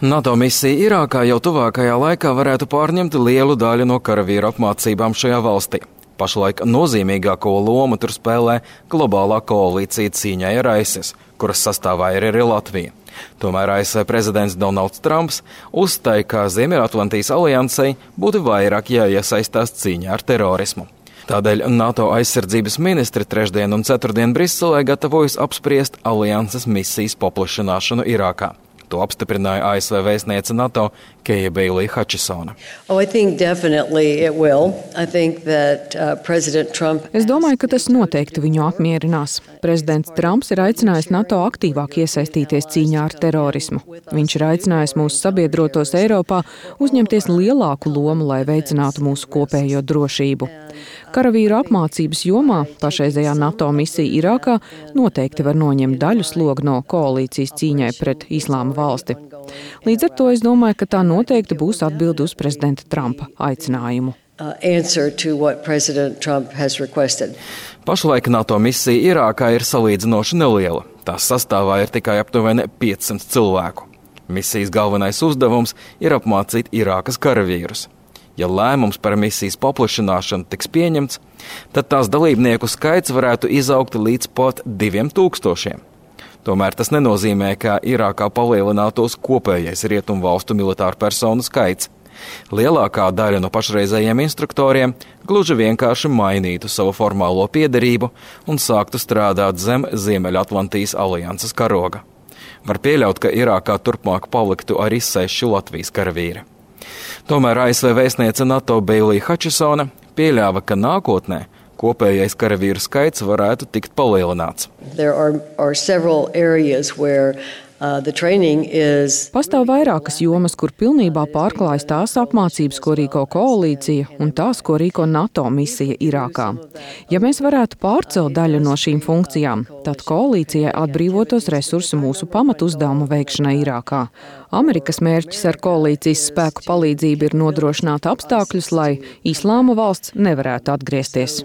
NATO misija Irākā jau tuvākajā laikā varētu pārņemt lielu daļu no karavīru apmācībām šajā valstī. Pašlaik nozīmīgāko lomu tur spēlē globālā koalīcija cīņai ar ISIS, kuras sastāvā ir arī Latvija. Tomēr ASV prezidents Donalds Trumps uzstāja, ka Ziemeļatlantijas aliansei būtu vairāk jāiesaistās cīņā ar terorismu. Tādēļ NATO aizsardzības ministri trešdien un ceturtdien Briselē gatavojas apspriest alianses misijas paplašināšanu Irākā. To apstiprināja ASV vēstniece NATO Keija Beilija Hačisona. Es domāju, ka tas noteikti viņu apmierinās. Prezidents Trumps ir aicinājis NATO aktīvāk iesaistīties cīņā ar terorismu. Viņš ir aicinājis mūsu sabiedrotos Eiropā uzņemties lielāku lomu, lai veicinātu mūsu kopējo drošību. Karavīru apmācības jomā pašreizējā NATO misija Irākā noteikti var noņemt daļu slogu no koalīcijas cīņai pret Islāma valsti. Līdz ar to es domāju, ka tā noteikti būs atbilde uz prezidenta Trumpa aicinājumu. Pašlaik NATO misija Irākā ir salīdzinoši neliela. Tās sastāvā ir tikai aptuveni 500 cilvēku. Misijas galvenais uzdevums ir apmācīt Irākas karavīrus. Ja lēmums par misijas paplašināšanu tiks pieņemts, tad tās dalībnieku skaits varētu izaugt līdz pat 2000. Tomēr tas nenozīmē, ka Irākā palielinātos kopējais rietumvalstu militāru personu skaits. Lielākā daļa no pašreizējiem instruktoriem gluži vienkārši mainītu savu formālo piederību un sāktu strādāt zem Ziemeļatlantijas alianses karoga. Var pieļaut, ka Irākā turpmāk paliktu arī 6 Latvijas karavīri. Tomēr ASV vēstniece NATO Beilija Hačisona pieļāva, ka nākotnē kopējais karavīru skaits varētu tikt palielināts. Pastāv vairākas jomas, kur pilnībā pārklājas tās apmācības, ko rīko koalīcija, un tās, ko rīko NATO misija Irākā. Ja mēs varētu pārcelt daļu no šīm funkcijām, tad koalīcijai atbrīvotos resursi mūsu pamatuzdevuma veikšanai Irākā. Amerikas mērķis ar koalīcijas spēku palīdzību ir nodrošināt apstākļus, lai Islāma valsts nevarētu atgriezties.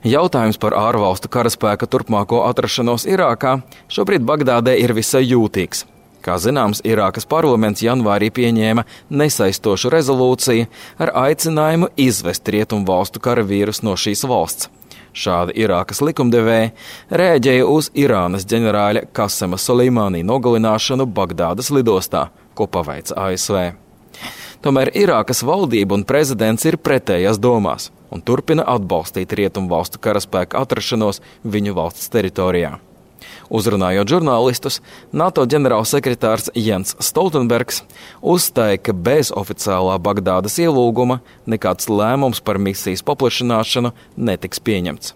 Jautājums par ārvalstu karaspēka turpmāko atrašanos Irākā šobrīd Bagdādē ir visai jūtīgs. Kā zināms, Irākas parlaments janvārī pieņēma nesaistošu rezolūciju ar aicinājumu izvest rietumvalstu karavīrus no šīs valsts. Šādi Irākas likumdevēji rēģēja uz Irānas ģenerāļa Kasema Soleimānī nogalināšanu Bagdādas lidostā, ko paveica ASV. Tomēr Irākas valdība un prezidents ir pretējās domās un turpina atbalstīt rietumvalstu karaspēka atrašanos viņu valsts teritorijā. Uzrunājot žurnālistus, NATO ģenerālsekretārs Jens Stoltenbergs uzstāja, ka bez oficiālā Bagdādas ielūguma nekāds lēmums par misijas paplašināšanu netiks pieņemts.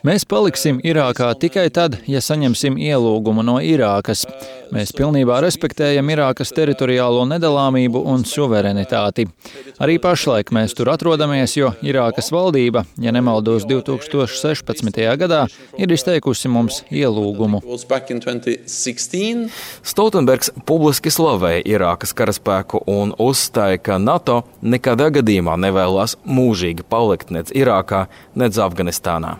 Mēs paliksim Irākā tikai tad, ja saņemsim ielūgumu no Irākas. Mēs pilnībā respektējam Irākas teritoriālo nedalāmību un suverenitāti. Arī pašlaik mēs tur atrodamies, jo Irākas valdība, ja nemaldos 2016. gadā, ir izteikusi mums ielūgumu. Stoltenbergs publiski slavēja Irākas karaspēku un uzstāja, ka NATO nekādā gadījumā nevēlas mūžīgi palikt nec Irākā, nec Afganistānā.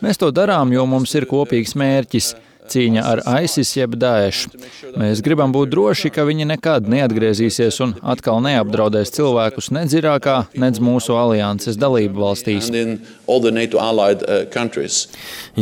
Mēs to darām, jo mums ir kopīgs mērķis – cīņa ar ISIS jeb Daesh. Mēs gribam būt droši, ka viņi nekad neatgriezīsies un atkal neapdraudēs cilvēkus nec Irākā, nec mūsu alianses dalību valstīs.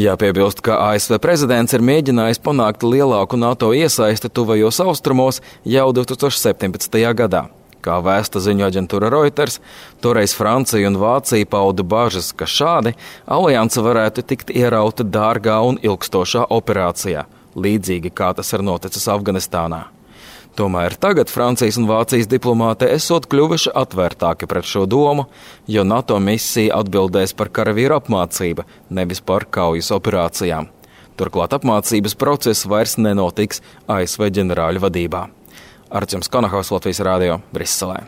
Jāpiebilst, ka ASV prezidents ir mēģinājis panākt lielāku NATO iesaisti tuvajos austrumos jau 2017. gadā. Kā vēsta ziņu aģentūra Reuters, toreiz Francija un Vācija pauda bažas, ka šādi alianse varētu tikt ierauta dārgā un ilgstošā operācijā, līdzīgi kā tas ir noticis Afganistānā. Tomēr tagad Francijas un Vācijas diplomāti esot kļuvuši atvērtāki pret šo domu, jo NATO misija atbildēs par karavīru apmācību, nevis par kaujas operācijām. Turklāt apmācības process vairs nenotiks ASV ģenerāļu vadībā. Artjoms Konahaus, Latvijas Rādio, Briselē.